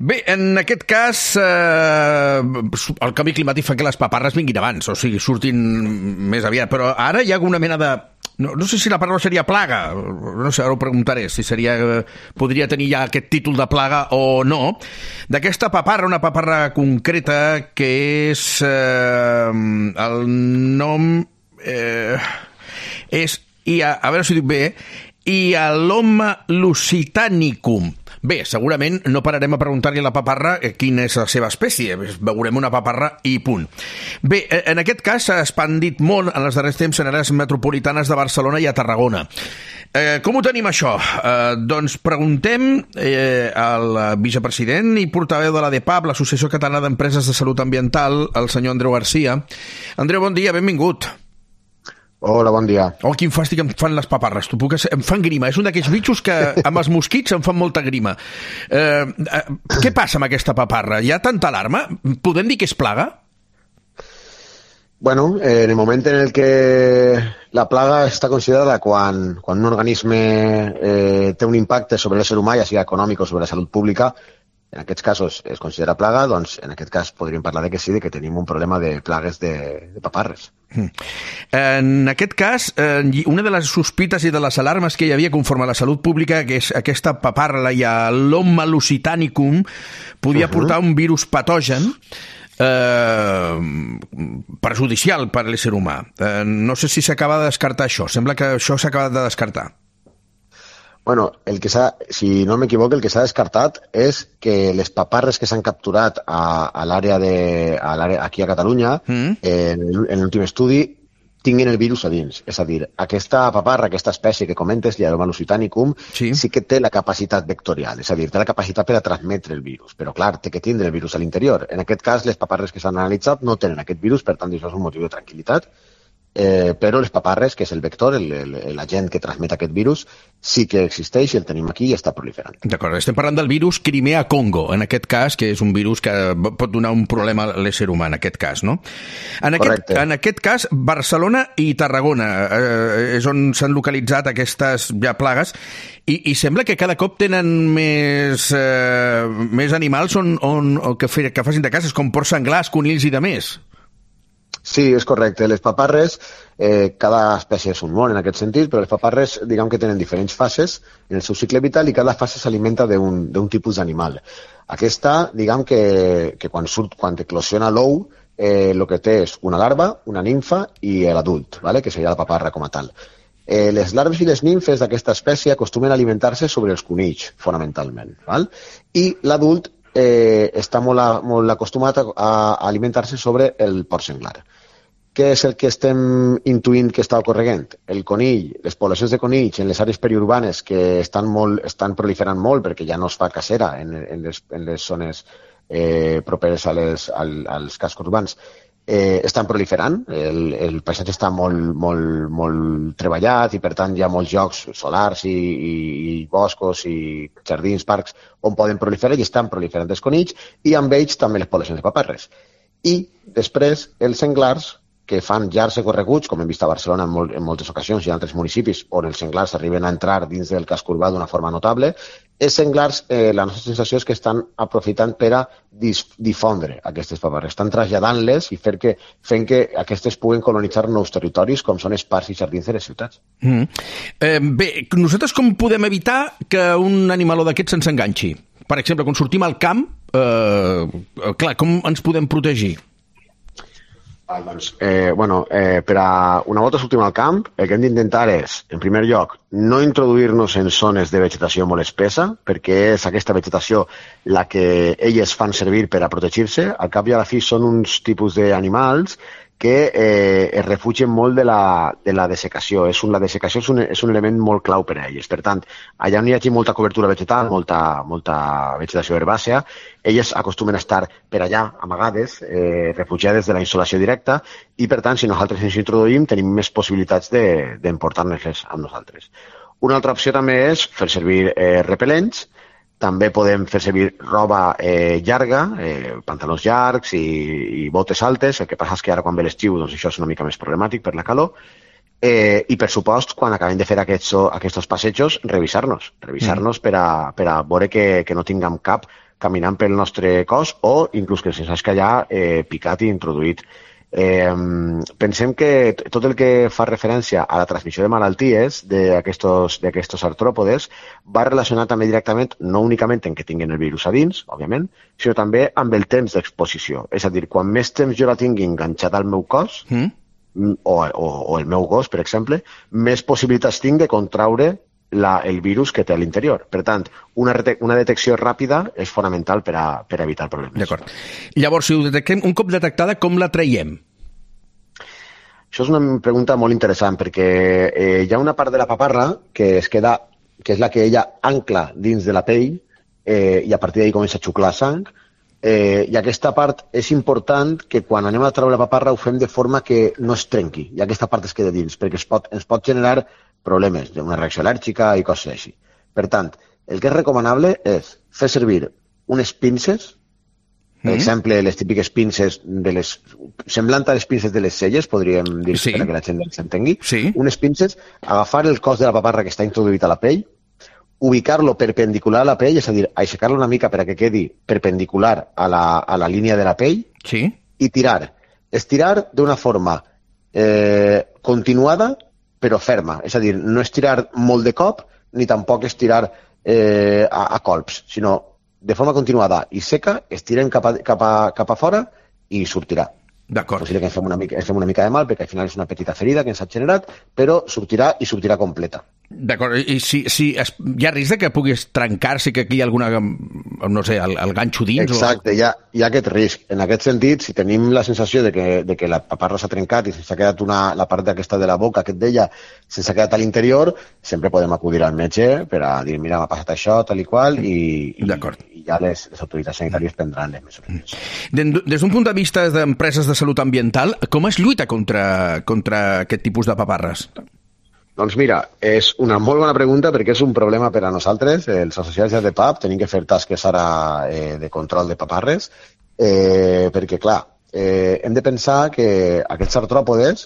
Bé, en aquest cas, el canvi climàtic fa que les paparres vinguin abans, o sigui, surtin més aviat, però ara hi ha alguna mena de... No sé si la paraula seria plaga, no sé, ara ho preguntaré, si podria tenir ja aquest títol de plaga o no, d'aquesta paparra, una paparra concreta que és... el nom és, a veure si ho dic bé, Hyaloma lusitanicum. Bé, segurament no pararem a preguntar-li a la paparra quina és la seva espècie. Veurem una paparra i punt. Bé, en aquest cas s'ha expandit molt en els darrers temps en àrees metropolitanes de Barcelona i a Tarragona. Com ho tenim, això? Doncs preguntem al vicepresident i portaveu de l'ADEPAP, l'Associació Catalana d'Empreses de Salut Ambiental, el senyor Andreu Garcia. Andreu, bon dia, benvingut. Hola, bon dia. Oh, quin fàstic em fan les paparres. Em fan grima. És un d'aquells bitxos que amb els mosquits em fan molta grima. Què passa amb aquesta paparra? Hi ha tanta alarma? Podem dir que és plaga? Bueno, en el moment en el que la plaga està considerada quan un organisme té un impacte sobre l'ésser humà, ja sigui econòmic o sobre la salut pública, en aquests casos es considera plaga, doncs en aquest cas podríem parlar que sí, que tenim un problema de plagues de paparres. En aquest cas, una de les sospites i de les alarmes que hi havia conforme a la salut pública, que és aquesta paparra, la Hyaloma lusitanicum, podia portar un virus patogen perjudicial per a l'ésser humà. No sé si s'acaba de descartar això. Sembla que això s'ha acabat de descartar. Bueno, si no m'equivoco, el que s'ha descartat és que les paparres que s'han capturat a l'àrea aquí a Catalunya, en l'últim estudi, tinguin el virus a dins. És a dir, aquesta paparra, aquesta espècie que comentes, Hyaloma lusitanicum, sí que té la capacitat vectorial, és a dir, té la capacitat per a transmetre el virus, però clar, té que tindre el virus a l'interior. En aquest cas, les paparres que s'han analitzat no tenen aquest virus, per tant, això és un motiu de tranquil·litat. Però les paparres, que és el vector, l'agent que transmet aquest virus, sí que existeix i el tenim aquí i està proliferant. D'acord, estem parlant del virus Crimea-Congo, en aquest cas, que és un virus que pot donar un problema a l'ésser humà, en aquest cas, no? Correcte. En aquest cas, Barcelona i Tarragona és on s'han localitzat aquestes ja plagues i sembla que cada cop tenen més animals que facin de cases, com porcs senglars, conills i de més. Sí, és correcte. Les paparres, cada espècie és un món en aquest sentit, però les paparres, diguem que tenen diferents fases en el seu cicle vital i cada fase s'alimenta d'un tipus d'animal. Aquesta, diguem que quan eclosiona l'ou, el que té és una larva, una nimfa i l'adult, que seria la paparra com a tal. Les larves i les nimfes d'aquesta espècie acostumen a alimentar-se sobre els conills, fonamentalment. I l'adult està molt acostumat a alimentar-se sobre el porc senglar. Què és el que estem intuint que està ocorrent? El conill, les poblacions de conills en les àrees periurbanes que estan proliferant molt perquè ja no es fa cacera en les zones properes als cascos urbans, estan proliferant, el paisatge està molt treballat i per tant hi ha molts llocs solars i boscos i jardins, parcs on poden proliferar i estan proliferant els conills i amb ells també les poblacions de paparres. I després els senglars que fan llargs recorreguts, com hem vist a Barcelona en moltes ocasions i en altres municipis on els senglars arriben a entrar dins del casc urbà d'una forma notable, els senglars, la nostra sensació és que estan aprofitant per a difondre aquestes paparres, estan traslladant-les i fent que aquestes puguen colonitzar nous territoris com són els parcs i jardins de les ciutats. Bé, nosaltres com podem evitar que un animaló d'aquests se'ns enganxi? Per exemple, quan sortim al camp, clar, com ens podem protegir? Per a una volta sortim al camp, el que hem d'intentar és, en primer lloc, no introduir-nos en zones de vegetació molt espessa, perquè és aquesta vegetació la que elles fan servir per a protegir-se. Al cap i a la fi són uns tipus d'animals que es refugien molt de la dessecació. La dessecació és un element molt clau per a elles. Per tant, allà on hi hagi molta cobertura vegetal, molta vegetació herbàcia, elles acostumen a estar per allà, amagades, refugiades de la insolació directa, i per tant, si nosaltres ens introduïm, tenim més possibilitats d'emportar-nos-les amb nosaltres. Una altra opció també és fer servir repel·lents. També podem fer servir roba llarga, pantalons llargs i botes altes. El que passa és que ara quan ve l'estiu doncs això és una mica més problemàtic per la calor. I per supost, quan acabem de fer aquests passejos, revisar-nos per a veure que no tinguem cap caminant pel nostre cos o inclús que se'ns hagi allà picat i introduït. Pensem que tot el que fa referència a la transmissió de malalties d'aquests artròpodes va relacionat també directament, no únicament en que tinguin el virus a dins, òbviament, sinó també amb el temps d'exposició. És a dir, quan més temps jo la tingui enganxada al meu cos, o el meu gos, per exemple, més possibilitats tinc de contraure el virus que té a l'interior. Per tant, una detecció ràpida és fonamental per a evitar problemes. D'acord. Llavors, si ho detectem, un cop detectada, com la traiem? Això és una pregunta molt interessant, perquè hi ha una part de la paparra que es queda, que és la que ella ancla dins de la pell, i a partir d'ahí comença a xuclar sang, i aquesta part és important que quan anem a treure la paparra ho fem de forma que no es trenqui, i aquesta part es queda dins, perquè ens pot generar problemes, una reacció al·lèrgica i coses així. Per tant, el que és recomanable és fer servir unes pinces, per exemple, les típiques pinces semblant a les pinces de les celles, podríem dir, perquè la gent s'entengui, unes pinces, agafar el cos de la paparra que està introduït a la pell, ubicar-lo perpendicular a la pell, és a dir, aixecar-lo una mica per a que quedi perpendicular a la línia de la pell, i tirar. Estirar d'una forma continuada, però ferma. És a dir, no estirar molt de cop, ni tampoc estirar a colps, sinó de forma continuada i seca, estirem cap a fora i sortirà. D'acord. Possible que ens fem una mica de mal, perquè al final és una petita ferida que ens ha generat, però sortirà i sortirà completa. D'acord, i si hi ha risc que puguis trencar-se, que aquí hi ha alguna, no sé, el ganxo dins? Exacte, hi ha aquest risc. En aquest sentit, si tenim la sensació de que la paparra s'ha trencat i se'ns ha quedat la part d'aquesta de la boca, que et deia, se'ns ha quedat a l'interior, sempre podem acudir al metge per a dir, mira, m'ha passat això, tal i qual, i ja les autoritats sanitàries prendran les mesures. Des d'un punt de vista d'empreses de salut ambiental, com es lluita contra aquest tipus de paparres? Doncs mira, és una molt bona pregunta perquè és un problema per a nosaltres. Els associats de PAP tenim que fer tasques ara de control de paparres perquè, clar, hem de pensar que aquests artròpodes,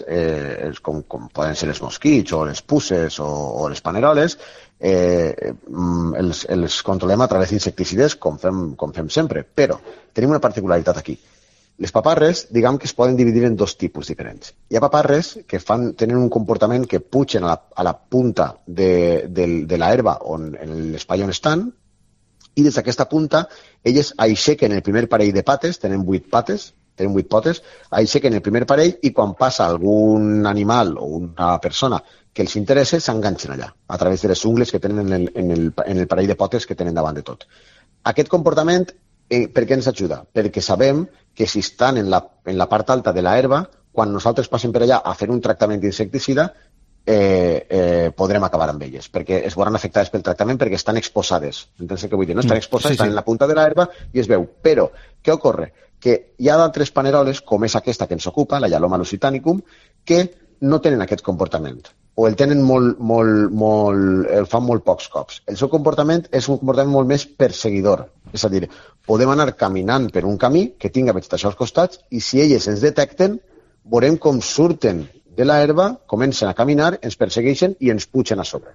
com poden ser els mosquits o les puces o les paneroles, els controlem a través d'insecticides com fem sempre. Però tenim una particularitat aquí. Les paparres, diguem que es poden dividir en dos tipus diferents. Hi ha paparres que tenen un comportament que pugen a la punta de l'herba en l'espai on estan, i des d'aquesta punta elles aixequen el primer parell de pates, tenen 8 potes, aixequen el primer parell i quan passa algun animal o una persona que els interessa, s'enganxen allà, a través de les ungles que tenen en el parell de potes que tenen davant de tot. Aquest comportament, per què ens ajuda? Perquè sabem que si estan en la part alta de l'herba, quan nosaltres passem per allà a fer un tractament d'insecticida, podrem acabar amb elles, perquè es veuran afectades pel tractament perquè estan exposades. Entens què vull dir? No? Estan exposades, estan en la punta de l'herba i es veu. Però, què ocorre? Que hi ha d'altres paneroles, com és aquesta que ens ocupa, la Yaloma lusitanicum, que no tenen aquest comportament, o el tenen el fan molt pocs cops. El seu comportament és un comportament molt més perseguidor, és a dir, podem anar caminant per un camí que tinga vegetació als costats i si elles ens detecten, veurem com surten de l'herba, comencen a caminar, ens persegueixen i ens pugen a sobre.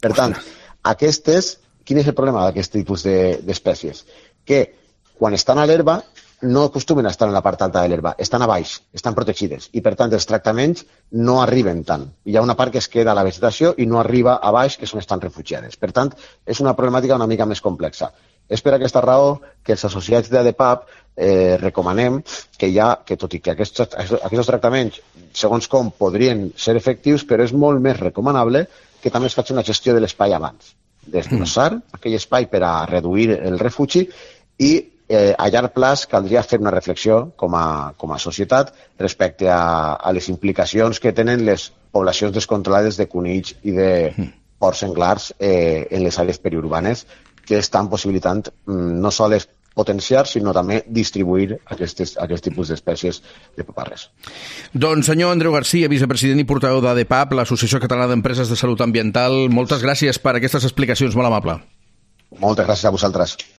Per tant, quin és el problema d'aquest tipus d'espècies? Que quan estan a l'herba no acostumen a estar en la part alta de l'herba, estan a baix, estan protegides i per tant els tractaments no arriben tant. Hi ha una part que es queda a la vegetació i no arriba a baix, que és on estan refugiades. Per tant, és una problemàtica una mica més complexa. És per aquesta raó que els associats d'ADPAP recomanem que tot i que aquests tractaments, segons com, podrien ser efectius, però és molt més recomanable que també es faci una gestió de l'espai abans. Desbrossar aquell espai per a reduir el refugi i a llarg plaç caldria fer una reflexió com a societat respecte a les implicacions que tenen les poblacions descontrolades de conills i de porcs senglars en les àrees periurbanes que estan possibilitant no sols potenciar, sinó també distribuir aquest tipus d'espècies de paparres. Doncs senyor Andreu Garcia, vicepresident i portaveu d'ADPAP, l'Associació Catalana d'Empreses de Salut Ambiental, moltes gràcies per aquestes explicacions, molt amable. Moltes gràcies a vosaltres.